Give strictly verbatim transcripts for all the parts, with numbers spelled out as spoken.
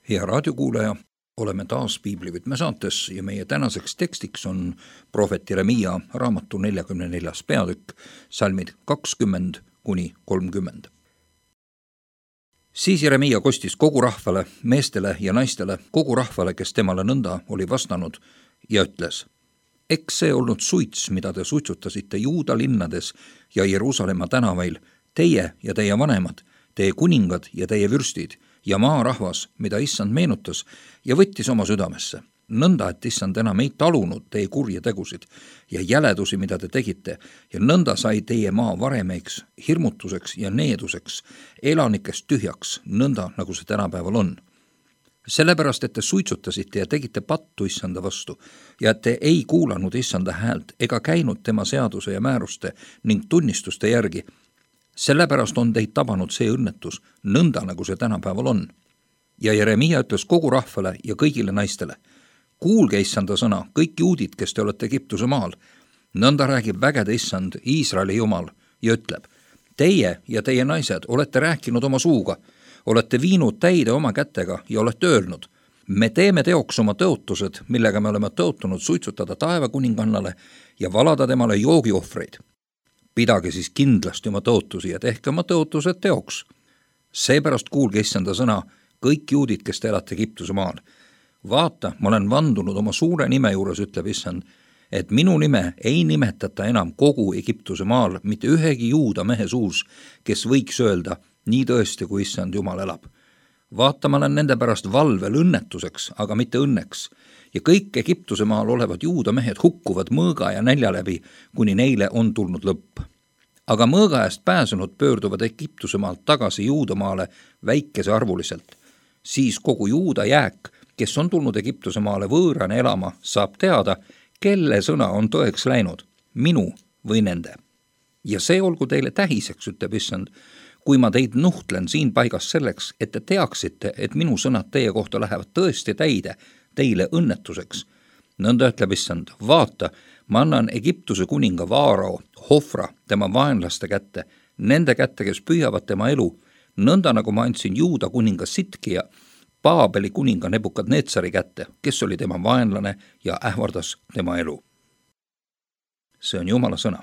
Hea raadiokuulaja, oleme taas Piiblivõtme saates ja meie tänaseks tekstiks on prohvet Jeremiia raamatu neljakümne neljas peatükk, salmid kakskümmend kuni kolmkümmend. Siis Jeremiia kostis kogu rahvale, meestele ja naistele, kogu rahvale, kes temale nõnda oli vastanud, ja ütles: eks see olnud suits, mida te suitsutasite Juuda linnades ja Jeruusalemma tänavail, teie ja teie vanemad, teie kuningad ja teie vürstid ja maarahvas, mida issand meenutas ja võttis oma südamesse. Nõnda, et issand enam ei talunud teie kurje tegusid ja jäledusi, mida te tegite, ja nõnda sai teie maa varemeiks, hirmutuseks ja needuseks, elanikest tühjaks, nõnda nagu see tänapäeval on. Sellepärast, et te suitsutasite ja tegite pattu issanda vastu ja et te ei kuulanud issanda häält ega käinud tema seaduse ja määruste ning tunnistuste järgi, sellepärast on teid tabanud see õnnetus, nõnda nagu see tänapäeval on. Ja Jeremiia ütles kogu rahvale ja kõigile naistele: kuulge issanda sõna, kõik juudid, kes te olete Egiptuse maal. Nõnda räägib vägede issand, Iisraeli jumal, ja ütleb: teie ja teie naised olete rääkinud oma suuga, olete viinud täide oma kätega ja olete öelnud: me teeme teoks oma tõotused, millega me oleme tõotunud suitsutada taevakuningannale ja valada temale joogiohvreid. Pidage siis kindlasti oma tõotusi ja tehke oma tõotused teoks. Seepärast kuulge issanda sõna, kõik juudid, kes te elate Egiptuse maal. Vaata, ma olen vandunud oma suure nime juures, ütleb issand, et minu nime ei nimetata enam kogu Egiptuse maal mitte ühegi juuda mehe suus, kes võiks öelda: nii tõesti, kui issand jumal elab. Vaata, ma olen nende pärast valvel õnnetuseks, aga mitte õnneks. Ja kõik Egiptuse maal olevad juuda mehed hukkuvad mõõga ja nälja läbi, kuni neile on tulnud lõpp. Aga mõõga eest pääsenud pöörduvad Egiptuse maalt tagasi juudamaale väikese arvuliselt. Siis kogu juuda jääk, kes on tulnud Egiptuse maale võõrane elama, saab teada, kelle sõna on tõeks läinud, minu või nende. Ja see olgu teile tähiseks, ütleb issand, kui ma teid nuhtlen siin paigas selleks, et te teaksite, et minu sõnad teie kohta lähevad tõesti täide, teile õnnetuseks. Nõnda ütleb issand: vaata, ma annan Egiptuse kuninga Vaarao, Hofra, tema vaenlaste kätte, nende kätte, kes püüavad tema elu, nõnda nagu ma andsin Juuda kuninga Sitkia, Paabeli kuninga Nebukadnetsari kätte, kes oli tema vaenlane ja ähvardas tema elu. See on Jumala sõna.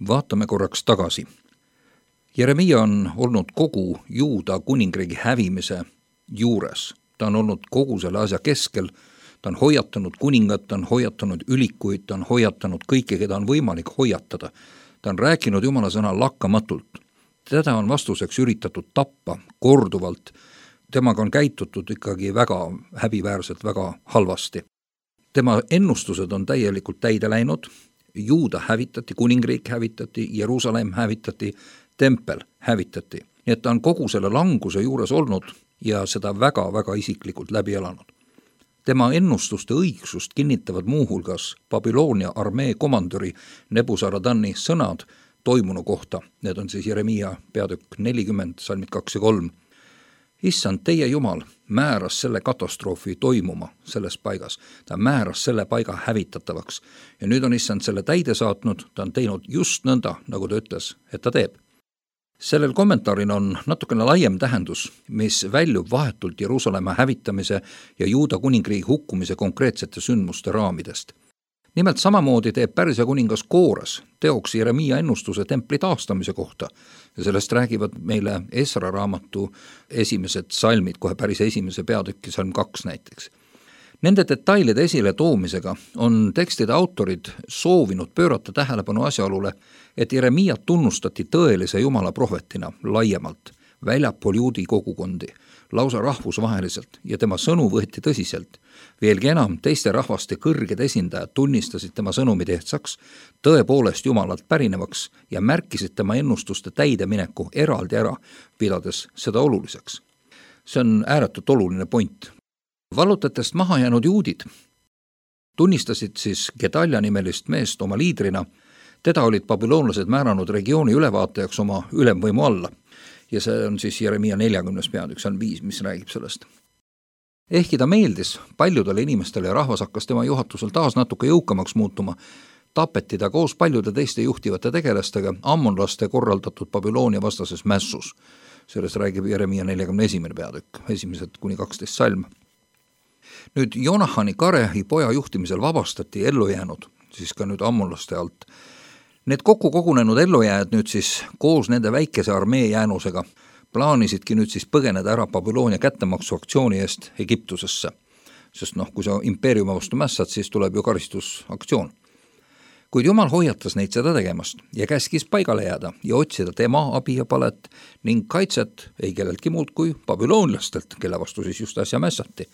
Vaatame korraks tagasi. Jeremiia on olnud kogu Juuda kuningriigi hävimise juures. Ta on olnud kogu selle asja keskel, ta on hoiatanud kuningat, ta on hoiatanud ülikuid, ta on hoiatanud kõike, keda on võimalik hoiatada. Ta on rääkinud Jumala sõna lakkamatult. Teda on vastuseks üritatud tappa korduvalt. Temaga on käitutud ikkagi väga häbiväärselt, väga halvasti. Tema ennustused on täielikult täide läinud. Juuda hävitati, kuningriik hävitati, Jeruusalemm hävitati, tempel hävitati. Nii et ta on kogu selle languse juures olnud ja seda väga-väga isiklikult läbi elanud. Tema ennustuste õigsust kinnitavad muuhulgas Babyloonia armee komandöri Nebuzaradani sõnad toimunu kohta. Need on siis Jeremiia peatükk nelikümmend, salmid kaks ja kolm. Issand, teie Jumal määras selle katastroofi toimuma selles paigas. Ta määras selle paiga hävitatavaks. Ja nüüd on issand selle täide saatnud, ta on teinud just nõnda, nagu ta ütles, et ta teeb. Sellel kommentaaril on natukene laiem tähendus, mis väljub vahetult Jeruusalemma hävitamise ja Juuda kuningriigi hukkumise konkreetsete sündmuste raamidest. Nimelt samamoodi teeb Pärsia kuningas Koores teoks Jeremiia ennustuse templi taastamise kohta ja sellest räägivad meile Esra raamatu esimesed salmid, kohe päris esimese peatükki, salm kaks näiteks. Nende detailide esile toomisega on tekstide autorid soovinud pöörata tähelepanu asjaolule, et Jeremiiat tunnustati tõelise Jumala prohvetina laiemalt, väljapool juudi kogukondi, lausa rahvusvaheliselt ja tema sõnu võeti tõsiselt. Veelgi enam, teiste rahvaste kõrged esindajad tunnistasid tema sõnumi tehtsaks, tõepoolest Jumalalt pärinevaks ja märkisid tema ennustuste täidemineku eraldi ära, pidades seda oluliseks. See on ääretult oluline point. Vallutatest maha jäänud juudid tunnistasid siis Gedalja nimelist meest oma liidrina. Teda olid babüloonlased määranud regiooni ülevaatajaks oma ülemvõimu alla. Ja see on siis Jeremiia neljakümnes peatükk, see on viis, mis räägib sellest. Ehkki ta meeldis paljudele inimestele ja rahvas hakkas tema juhatusel taas natuke jõukamaks muutuma, tapeti ta koos paljude teiste juhtivate tegelastega ammonlaste korraldatud Babyloonia vastases mässus. Sellest räägib Jeremia neljakümne esimene peatükk, esimesed kuni kaksteist salm. Nüüd Jonahani Karehi poja juhtimisel vabastati ellujäänud, siis ka nüüd ammonlaste alt. Need kokku kogunenud ellujääjad nüüd siis koos nende väikese armee jäänusega plaanisidki nüüd siis põgeneda ära Babyloonia kättemaksuaktsiooni eest Egiptusesse. Sest noh, kui sa impeeriumi vastu mässad, siis tuleb ju karistusaktsioon. Kuid Jumal hoiatas neid seda tegemast ja käskis paigale jääda ja otsida tema abi ja palet ning kaitset ei kelleltki muud kui babüloonlastelt, kelle vastu siis just äsja mässati.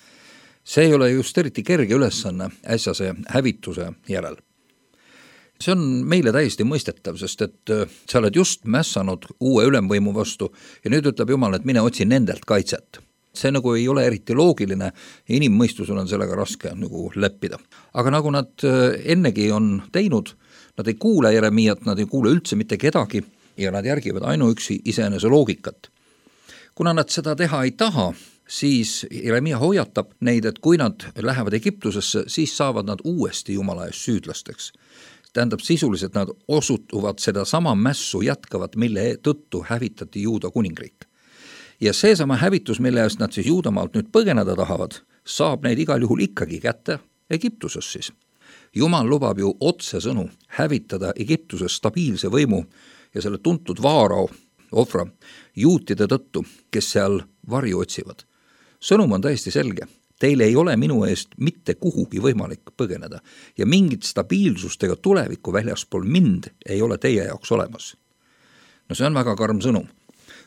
See ei ole just eriti kerge ülesanne äsjase hävituse järel. See on meile täiesti mõistetav, sest et sa oled just mässanud uue ülemvõimu vastu ja nüüd ütleb Jumal, et mine otsi nendelt kaitset. See nagu ei ole eriti loogiline ja inimmõistusel on sellega raske nagu leppida. Aga nagu nad ennegi on teinud, nad ei kuule Jeremiat, nad ei kuule üldse mitte kedagi ja nad järgivad ainuüksi iseenese loogikat. Kuna nad seda teha ei taha, siis Jeremia hoiatab neid, et kui nad lähevad Egiptusesse, siis saavad nad uuesti Jumala ees süüdlasteks. Tähendab sisuliselt nad osutuvad seda sama mässu jätkavat, mille tõttu hävitati Juuda kuningriik. Ja seesama hävitus, mille eest nad siis Juudamaalt nüüd põgeneda tahavad, saab neid igal juhul ikkagi kätte Egiptuses siis. Jumal lubab ju otsesõnu hävitada Egiptuses stabiilse võimu ja selle tuntud vaarao, Ofra, juutide tõttu, kes seal varju otsivad. Sõnum on täiesti selge. Teil ei ole minu eest mitte kuhugi võimalik põgeneda ja mingit stabiilsust ega tulevikku väljaspool mind ei ole teie jaoks olemas. No see on väga karm sõnum.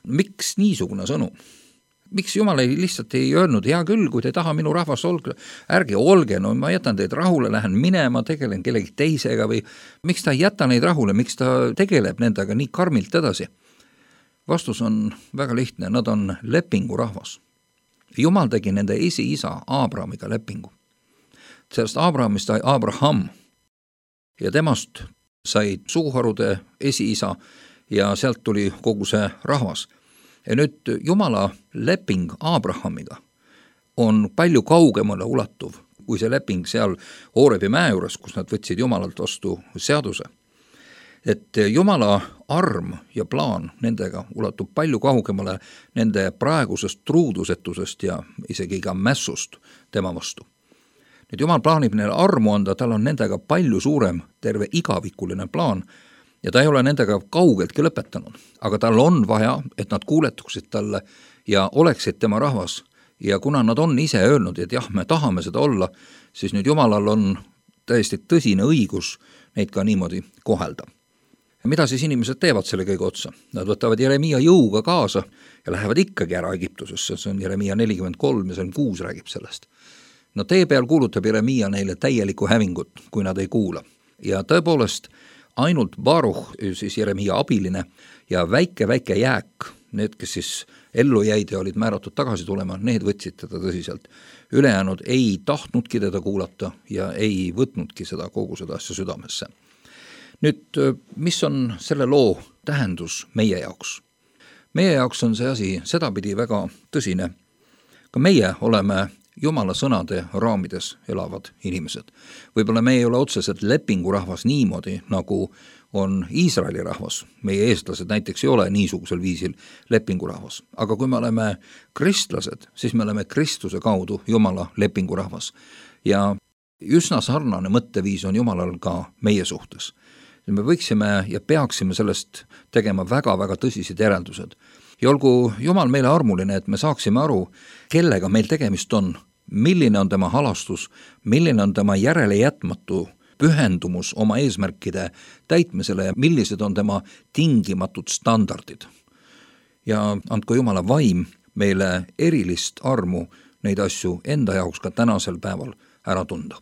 Miks niisugune sõnum? Miks Jumal ei lihtsalt ei öelnud, hea küll, kui te ei taha minu rahvast olge, ärge olge, no ma jätan teid rahule, lähen minema, tegelen kellegi teisega või miks ta ei jäta neid rahule, miks ta tegeleb nendega nii karmilt edasi? Vastus on väga lihtne, nad on lepingu rahvas. Jumal tegi nende esi-isa Abrahamiga lepingu. Sellest Abrahamist sai Abraham ja temast sai suguharude esi-isa ja sealt tuli kogu see rahvas. Ja nüüd Jumala leping Abrahamiga on palju kaugemale ulatuv kui see leping seal Hoorebi mäe juures, kus nad võtsid Jumalalt vastu seaduse. Et Jumala arm ja plaan nendega ulatub palju kaugemale nende praegusest truudusetusest ja isegi ka mässust tema vastu. Nüüd Jumal plaanib neile armu anda, tal on nendega palju suurem terve igavikuline plaan ja ta ei ole nendega kaugeltki lõpetanud, aga tal on vaja, et nad kuuletuksid talle ja oleksid tema rahvas ja kuna nad on ise öelnud, et jah, me tahame seda olla, siis nüüd Jumalal on täiesti tõsine õigus neid ka niimoodi kohelda. Ja mida siis inimesed teevad selle kõige otsa? Nad võtavad Jeremia jõuga kaasa ja lähevad ikkagi ära Egiptusesse, see on Jeremia nelikümmend kolm ja salm kuus räägib sellest. No tee peal kuulutab Jeremia neile täielikku hävingut, kui nad ei kuula. Ja tõepoolest ainult Baruch, siis Jeremia abiline ja väike-väike jääk, need, kes siis ellu jäid ja olid määratud tagasi tulema, need võtsid teda tõsiselt. Ülejäänud ei tahtnudki teda kuulata ja ei võtnudki seda kogu seda asja südamesse. Nüüd, mis on selle loo tähendus meie jaoks? Meie jaoks on see asi sedapidi väga tõsine. Ka meie oleme Jumala sõnade raamides elavad inimesed. Võib-olla me ei ole otseselt lepingurahvas niimoodi, nagu on Iisraeli rahvas. Meie eestlased näiteks ei ole niisugusel viisil lepingurahvas. Aga kui me oleme kristlased, siis me oleme Kristuse kaudu Jumala lepingurahvas. Ja üsna sarnane mõtteviis on Jumalal ka meie suhtes. Me võiksime ja peaksime sellest tegema väga-väga tõsised järeldused. Ja olgu Jumal meile armuline, et me saaksime aru, kellega meil tegemist on, milline on tema halastus, milline on tema järele jätmatu pühendumus oma eesmärkide täitmisele ja millised on tema tingimatud standardid. Ja andku Jumala vaim meile erilist armu neid asju enda jaoks ka tänasel päeval ära tunda.